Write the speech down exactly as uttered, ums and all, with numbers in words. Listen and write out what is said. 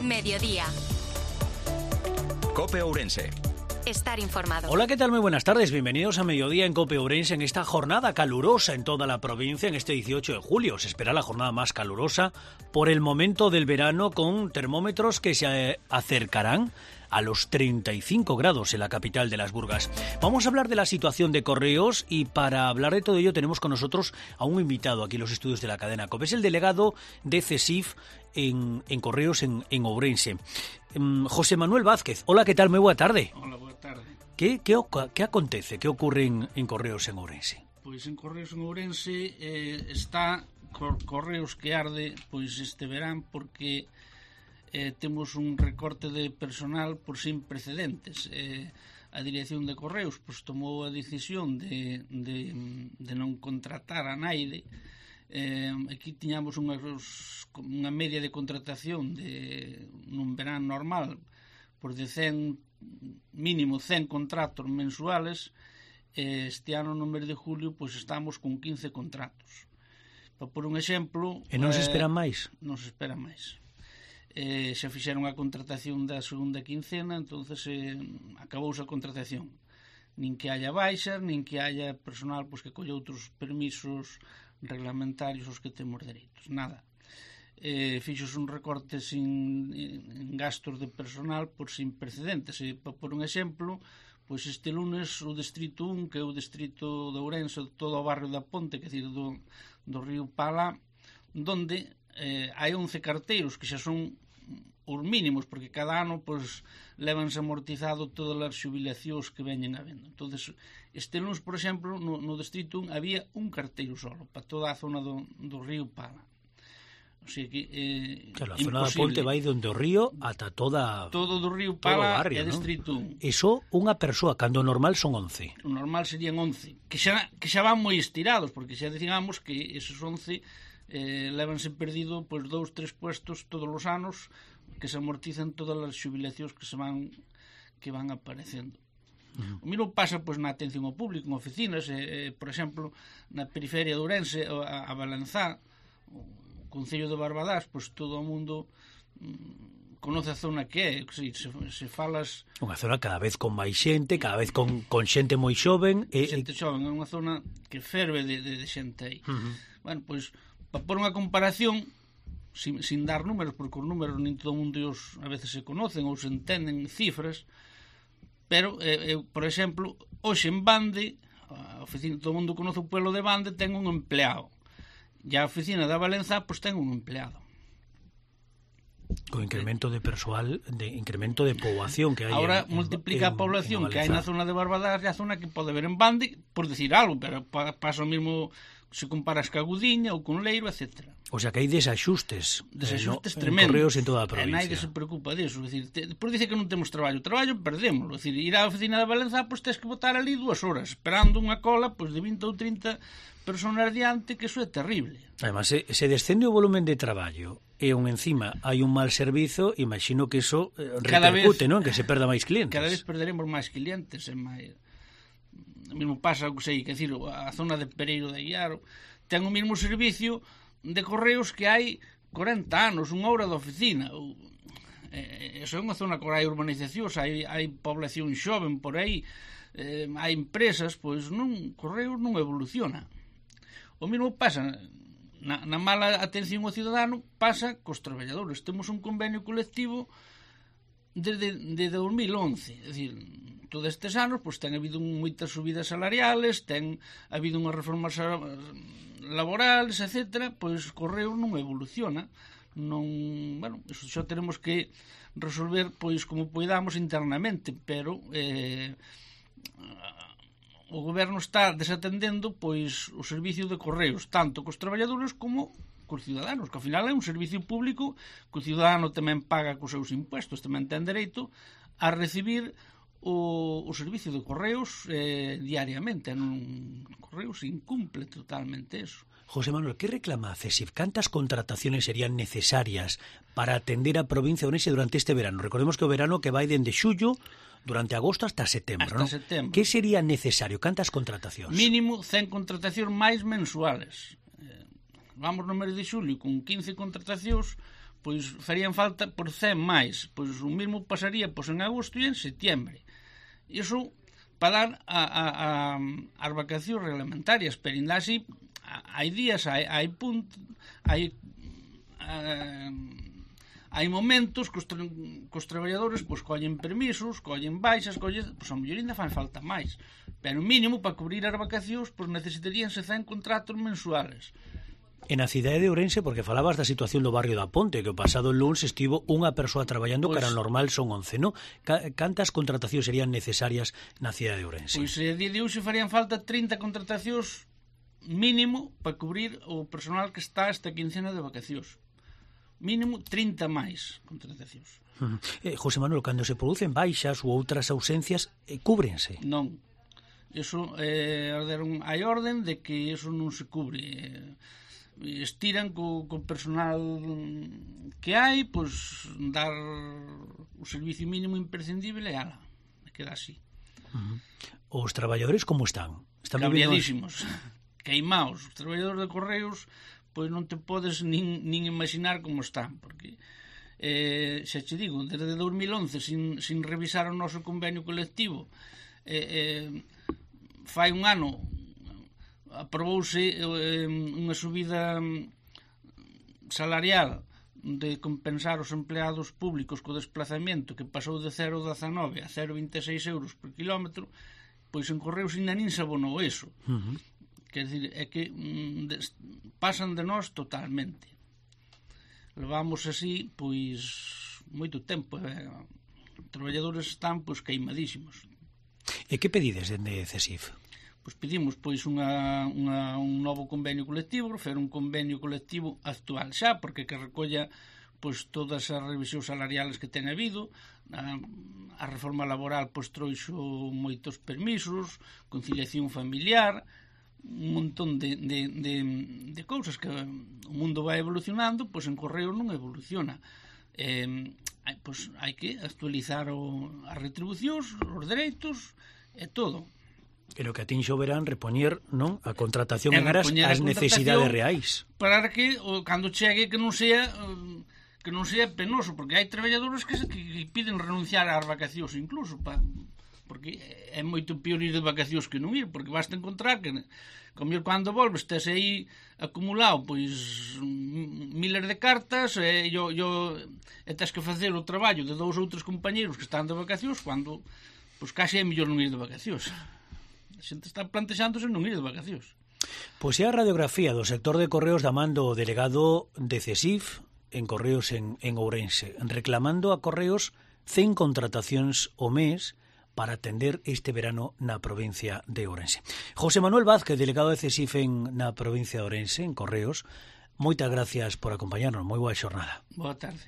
Mediodía. COPE Ourense. Estar informado. Hola, ¿qué tal? Muy buenas tardes. Bienvenidos a Mediodía en COPE Ourense en esta jornada calurosa en toda la provincia en este dieciocho de julio. Se espera la jornada más calurosa por el momento del verano, con termómetros que se acercarán a los treinta y cinco grados en la capital de las Burgas. Vamos a hablar de la situación de Correos y para hablar de todo ello tenemos con nosotros a un invitado aquí en los estudios de la cadena COPE. Es el delegado de CESIF en, en Correos en, en Ourense. Um, José Manuel Vázquez. Hola, ¿qué tal? Muy buena tarde. Hola, buena tarde. ¿Qué, qué, qué acontece? ¿Qué ocurre en, en Correos en Ourense? Pois en Correos en Ourense eh, está cor, Correos que arde pois este verán porque eh, temos un recorte de personal por sin precedentes. Eh, a dirección de Correos pois tomou a decisión de, de, de non contratar a naide. Eh, aquí tiñamos unha, unha media de contratación de nun verán normal por de cen, mínimo cen contratos mensuales. Eh, este ano no mes de julio pois estamos con quince contratos. Para por un exemplo, e non se eh, esperan máis? Non se espera máis. Eh, xa fixeron a contratación da segunda quincena, entonces eh, acabouse a contratación. Nin que haya baixas, nin que haya personal pois que colle outros permisos reglamentarios os que temos dereitos, nada. Eh, fixos un recorte sin en gastos de personal por sin precedentes. E, por un exemplo, pois este lunes o distrito un, que é o distrito de Ourense, todo o barrio da Ponte, que é dicir, do, do río Pala, donde eh, hai once carteiros que xa son os mínimos, porque cada ano pois levanse amortizado todas as xubilacións que veñen habendo. Entonces, este lunes, por exemplo, no, no distrito un había un carteiro solo para toda a zona do, do río Pala. O sea que eh, claro, a zona da Ponte vai donde o río ata toda todo do río Pala barrio, é ¿no? distrito un. Eso unha persoa, cando normal son once. O normal serían once, que xa, que xa van moi estirados, porque xa digamos que esos once eh, levanse perdido pois dous, tres puestos todos os anos, que se amortizan todas as xubilacións que se van que van aparecendo. Uh-huh. O mesmo pasa pois na atención ao público, en oficinas, eh, eh, por exemplo, na periferia de Ourense, a, a Balanzá, o Concello de Barbadás, pois todo o mundo mm, conoce a zona que é, se, se, se falas... Unha zona cada vez con máis xente, cada vez con, con xente moi xoven. E, xente xoven, é unha zona que ferve de, de, de xente aí. Uh-huh. Bueno, pois, para por unha comparación, sin, sin dar números, porque os números nin todo o mundo os, a veces se conocen ou se entenden cifras, pero, eh, eh, por exemplo, hoxe en Bande, a oficina, todo o mundo conoce o pueblo de Bande, ten un empleado. E a oficina da Valenza, pois ten un empleado. Con incremento de persoal, de incremento de poboación que hai. Ahora en, multiplica en, a población en que hai na zona de Barbadás e a zona que pode ver en Bande, por decir algo, pero pa, pasa o mesmo se comparas ca Gudiña ou con Leiro, etcétera. O sea que hai desaxustes, desaxustes eh, no, tremendos. En Correos en toda a provincia. E naide se preocupa disso, é dicir, te, por dice que non temos traballo, traballo perdémoslo, é dicir, ir á oficina da Valenza, pois tens que botar ali dúas horas esperando unha cola pois de vinte ou trinta personas diante, que iso é terrible. Además, se, se descende o volumen de traballo e un encima hai un mal servizo, imagino que eso eh, repercute, non? Que se perda máis clientes. Cada vez perderemos máis clientes, e máis... O mesmo pasa, que sei, que decir, a zona de Pereiro de Aguiar ten o mesmo servicio de Correos que hai corenta anos, unha hora de oficina. Eh, eso é unha zona que hai urbanizacións, hai, hai población xoven por aí, eh, hai empresas, pois non, Correos non evoluciona. O mesmo pasa na, na mala atención ao cidadano, pasa cos traballadores. Temos un convenio colectivo desde, desde dos mil once, é dicir, todos estes anos pois ten habido moitas subidas salariales, ten habido unhas reformas laborales, etcétera, pois Correos non evoluciona, non, bueno, iso xa teremos que resolver pois como poidamos internamente, pero eh, o goberno está desatendendo pois o servicio de Correos, tanto cos traballadores como cos ciudadanos, que ao final é un servicio público que o ciudadano tamén paga cos seus impuestos, tamén ten dereito a recibir o, o servicio de Correos eh, diariamente. Non, Correos incumple totalmente eso. José Manuel, ¿qué reclama CESIF? ¿Cuántas contrataciones serían necesarias para atender a provincia de Ourense durante este verano? Recordemos que o verano que vai dende xullo durante agosto hasta setembro, hasta ¿no? setembro. ¿Qué sería necesario? ¿Cantas contratacións? Mínimo cen contratacións máis mensuales. Eh, vamos no mes de xulio con quince contratacións, pois farían falta por cen máis. Pois o mesmo pasaría pois en agosto e en setembro. Iso para dar a, a, a, as vacacións reglamentarias, pero ainda así hai días, hai, hai puntos, hai uh, hai momentos que os, tra que os traballadores pois, collen permisos, collen baixas, collen, pois a mellor ainda fan falta máis, pero mínimo para cubrir as vacacións pois necesitaríanse cen contratos mensuales. E na cidade de Ourense, porque falabas da situación do barrio da Ponte, que o pasado luns estivo unha persoa traballando, pues, que era normal son once, non? Cantas contratacións serían necesarias na cidade de Ourense? Pois a día de hoxe farían falta trinta contratacións mínimo para cubrir o personal que está esta quincena de vacacións. Mínimo trinta máis contratacións. Uh -huh. eh, José Manuel, cando se producen baixas ou outras ausencias, eh, cúbrense? Non. Eso, eh, hai orden de que eso non se cubre. Estiran co, co personal que hai, pois dar o servicio mínimo imprescindible e ala, queda así. Uh -huh. Os traballadores como están? Están cabreadísimos, queimaos. Os traballadores de Correos pois non te podes nin, nin imaginar como están, porque eh, xa te digo, desde dos mil once sin, sin revisar o noso convenio colectivo, eh, eh, fai un ano aprobouse eh, unha subida salarial de compensar os empleados públicos co desplazamento, que pasou de cero vírgula dezanove a cero vírgula vinte e seis euros por kilómetro, pois en Correos ainda nin se abonou eso. Uh -huh. Quer dizer, é que mm, de, pasan de nós totalmente. Levamos así, pois, moito tempo. Eh? Os traballadores están, pois, queimadísimos. E que pedides dende CESIF? Pois pedimos pois unha, unha, un novo convenio colectivo, fer un convenio colectivo actual xa, porque que recolla pois todas as revisións salariales que ten habido. A, a reforma laboral pois trouxo moitos permisos, conciliación familiar, un montón de, de, de, de cousas que o mundo vai evolucionando, pois en Correo non evoluciona. Eh, pois hai que actualizar o, as retribucións, os dereitos e todo. E lo que atinxe o verán repoñer, non, a contratación en aras as necesidades reais. Para que o, cando chegue que non sea que non sea penoso, porque hai traballadores que, que piden renunciar ás vacacións incluso, pa, porque é moito pior ir de vacacións que non ir, porque basta encontrar que como eu cando volves tes aí acumulado pois miles de cartas e, yo, yo, e tes que facer o traballo de dous outros compañeros que están de vacacións cando pois case é mellor non ir de vacacións. A xente está plantexándose non ir de vacacións. Pois é a radiografía do sector de Correos da man do delegado de CESIF en Correos en, en Ourense, reclamando a Correos cen contratacións ao mes para atender este verano na provincia de Ourense. José Manuel Vázquez, delegado de CESIF en, na provincia de Ourense, en Correos, moitas gracias por acompañarnos. Moi boa xornada. Boa tarde.